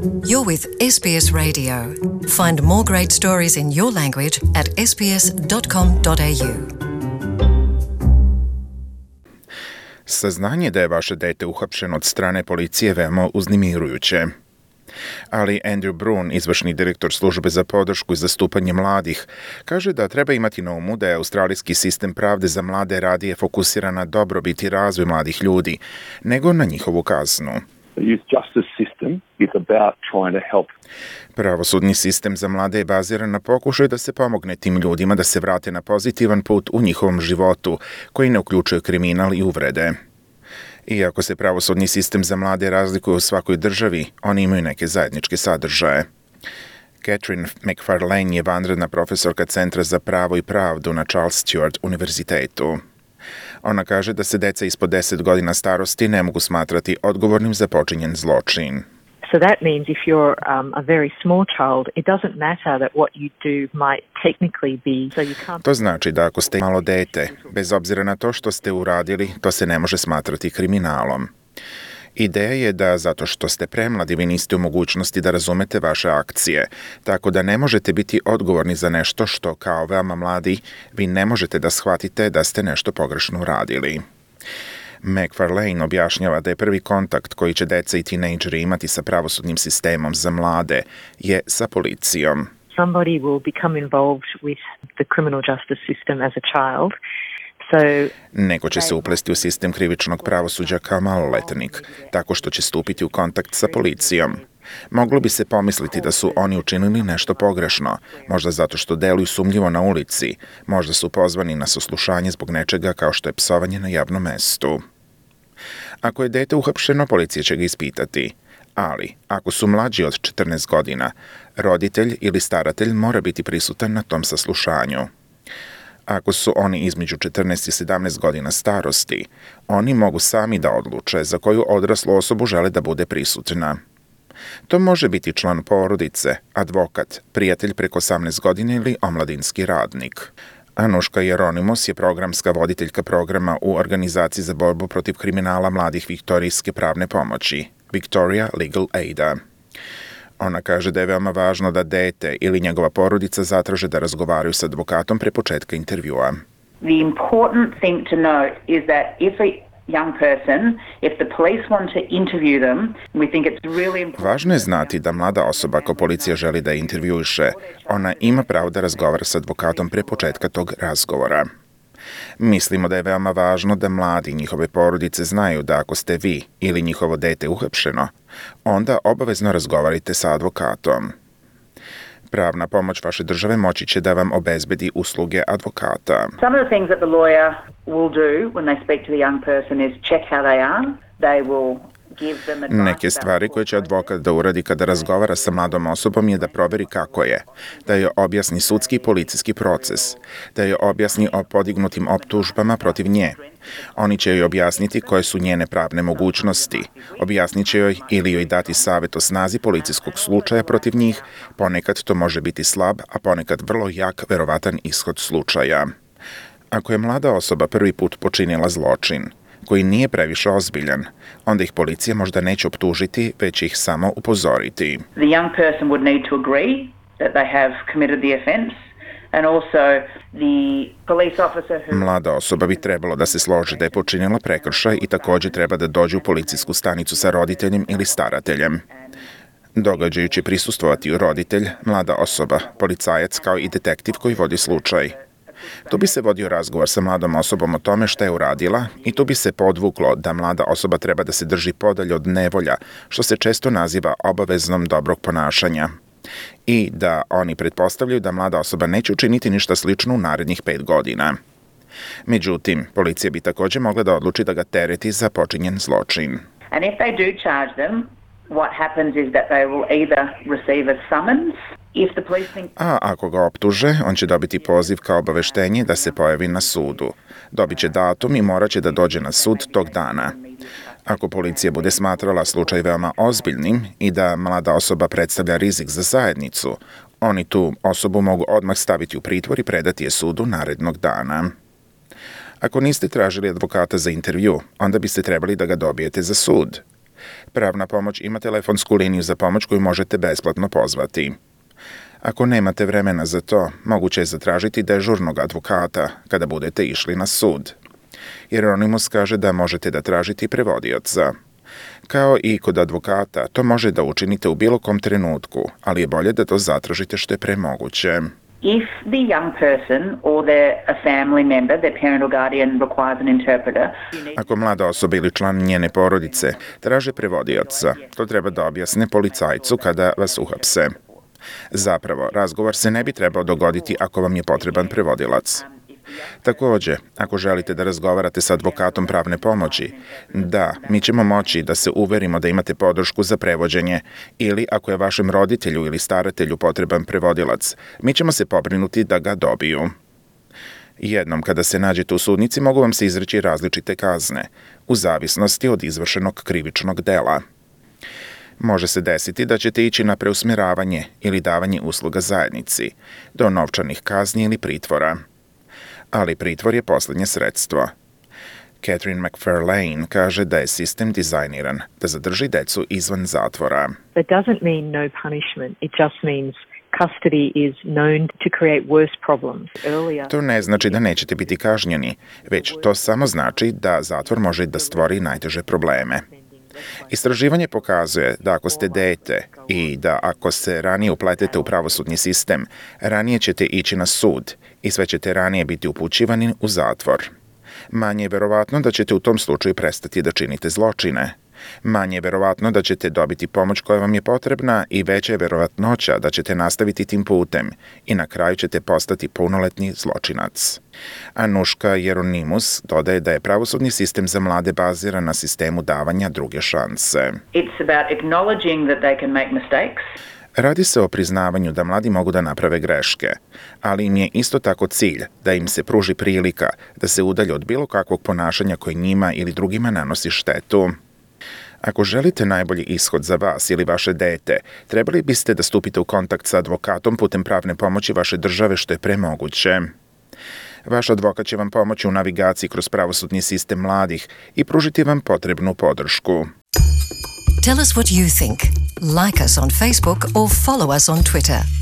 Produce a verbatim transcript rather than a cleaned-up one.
You're with S B S Radio. Find more great stories in your language at s b s dot com dot a u. Saznanje da je vaše dete uhapšeno od strane policije veoma uznemirujuće. Ali Andrew Brun, izvršni direktor službe za podršku i zastupanje mladih, kaže da treba imati na umu da je australijski sistem pravde za mlade radije fokusiran na dobrobit i razvoj mladih ljudi, nego na njihovu kaznu. The youth justice system is about trying to help. Pravosudni sistem za mlade je baziran na pokušaju da se pomogne tim ljudima da se vrate na pozitivan put u njihovom životu, koji ne uključuje kriminal i uvrede. Iako se pravosudni sistem za mlade razlikuje u svakoj državi, oni imaju neke zajedničke sadržaje. Catherine McFarlane je vanredna profesorka Centra za pravo i pravdu na Charles Sturt univerzitetu. Ona kaže da se deca ispod deset godina starosti ne mogu smatrati odgovornim za počinjen zločin. So that means if you're um, a very small child, it doesn't matter that what you do might technically be. So you can't... To znači da ako ste malo dete, bez obzira na to što ste uradili, to se ne može smatrati kriminalom. Ideja je da zato što ste premladi vi niste u mogućnosti da razumete vaše akcije, tako da ne možete biti odgovorni za nešto što kao veoma mladi vi ne možete da shvatite da ste nešto pogrešno uradili. McFarlane objašnjava da je prvi kontakt koji će deca i tinejdžeri imati sa pravosudnim sistemom za mlade je sa policijom. Somebody will become involved with the criminal justice system as a child. So, Neko će se uplesti u sistem krivičnog pravosuđa kao maloletnik, tako što će stupiti u kontakt sa policijom. Moglo bi se pomisliti da su oni učinili nešto pogrešno, možda zato što deluju sumnjivo na ulici, možda su pozvani na saslušanje zbog nečega kao što je psovanje na javnom mestu. Ako je dete uhapšeno, policija će ga ispitati. Ali, ako su mlađi od četrnaest godina, roditelj ili staratelj mora biti prisutan na tom saslušanju. Ako su oni između četrnaest i sedamnaest godina starosti, oni mogu sami da odluče za koju odraslu osobu žele da bude prisutna. To može biti član porodice, advokat, prijatelj preko osamnaest godina ili omladinski radnik. Anuška Jeronimos je programska voditeljka programa u Organizaciji za borbu protiv kriminala mladih viktorijske pravne pomoći, Victoria Legal Aida. Ona kaže da je veoma važno da dete ili njegova porodica zatraže da razgovaraju sa advokatom pre početka intervjua. The important thing to note is that if a young person, if the police want to interview them, we think it's really important. Važno je znati da mlada osoba ako policija želi da intervjuiše, ona ima pravo da razgovara sa advokatom pre početka tog razgovora. Mislimo da je veoma važno da mladi i njihove porodice znaju da ako ste vi ili njihovo dete uhapšeno, onda obavezno razgovarajte sa advokatom. Pravna pomoć vaše države moći će da vam obezbedi usluge advokata. Some of the things that the lawyer will do when they speak to the young person is check how they are. They will Neke stvari koje će advokat da uradi kada razgovara sa mladom osobom je da proveri kako je, da joj objasni sudski i policijski proces, da joj objasni o podignutim optužbama protiv nje. Oni će joj objasniti koje su njene pravne mogućnosti, objasnit će joj ili joj dati savjet o snazi policijskog slučaja protiv njih, ponekad to može biti slab, a ponekad vrlo jak verovatan ishod slučaja. Ako je mlada osoba prvi put počinila zločin, koji nije previše ozbiljan, onda ih policija možda neće optužiti, već ih samo upozoriti. The young person would need to agree that they have committed the offence and also the police officer who... Mlada osoba bi trebalo da se složi da je počinila prekršaj i takođe treba da dođe u policijsku stanicu sa roditeljem ili starateljem. Događaju će prisustvovati roditelj, mlada osoba, policajac kao i detektiv koji vodi slučaj. Tu bi se vodio razgovor sa mladom osobom o tome šta je uradila i tu bi se podvuklo da mlada osoba treba da se drži podalje od nevolja, što se često naziva obaveznom dobrog ponašanja. I da oni pretpostavljaju da mlada osoba neće učiniti ništa slično u narednih pet godina. Međutim, policija bi takođe mogla da odluči da ga tereti za počinjen zločin. And if they do charge them, what happens is that they will either receive a summons. A ako ga optuže, on će dobiti poziv kao obaveštenje da se pojavi na sudu. Dobit će datum i morat će da dođe na sud tog dana. Ako policija bude smatrala slučaj veoma ozbiljnim i da mlada osoba predstavlja rizik za zajednicu, oni tu osobu mogu odmah staviti u pritvor i predati je sudu narednog dana. Ako niste tražili advokata za intervju, onda biste trebali da ga dobijete za sud. Pravna pomoć ima telefonsku liniju za pomoć koju možete besplatno pozvati. Ako nemate vremena za to, moguće je zatražiti dežurnog advokata kada budete išli na sud. Hieronymus kaže da možete da tražite prevodioca. Kao i kod advokata, to može da učinite u bilo kom trenutku, ali je bolje da to zatražite što je pre moguće. If the young person or their a family member, their parent or guardian requires an interpreter, Ako mlada osoba ili član njene porodice traže prevodioca, to treba da objasne policajcu kada vas uhapse. Zapravo, razgovor se ne bi trebao dogoditi ako vam je potreban prevodilac. Takođe, ako želite da razgovarate sa advokatom pravne pomoći, da, mi ćemo moći da se uverimo da imate podršku za prevođenje ili ako je vašem roditelju ili staratelju potreban prevodilac, mi ćemo se pobrinuti da ga dobiju. Jednom kada se nađete u sudnici mogu vam se izreći različite kazne, u zavisnosti od izvršenog krivičnog dela. Može se desiti da ćete ići na preusmjeravanje ili davanje usluga zajednici, do novčanih kazni ili pritvora. Ali pritvor je poslednje sredstvo. Catherine McFarlane kaže da je sistem dizajniran da zadrži decu izvan zatvora. That doesn't mean no punishment. It just means custody is known to create worse problems earlier. To ne znači da nećete biti kažnjeni, već to samo znači da zatvor može da stvori najteže probleme. Istraživanje pokazuje da ako ste dete i da ako se ranije upletete u pravosudni sistem, ranije ćete ići na sud i sve ćete ranije biti upućivani u zatvor. Manje je verovatno da ćete u tom slučaju prestati da činite zločine. Manje je verovatno da ćete dobiti pomoć koja vam je potrebna i veća je verovatnoća da ćete nastaviti tim putem i na kraju ćete postati punoletni zločinac. Anuška Hieronymus dodaje da je pravosudni sistem za mlade baziran na sistemu davanja druge šanse. it's about acknowledging that they can make mistakes. Radi se o priznavanju da mladi mogu da naprave greške, ali im je isto tako cilj da im se pruži prilika da se udalje od bilo kakvog ponašanja koje njima ili drugima nanosi štetu. Ako želite najbolji ishod za vas ili vaše dete, trebali biste da stupite u kontakt sa advokatom putem pravne pomoći vaše države što je pre moguće. Vaš advokat će vam pomoći u navigaciji kroz pravosudni sistem mladih i pružiti vam potrebnu podršku. Tell us what you think. Like us on Facebook or follow us on Twitter.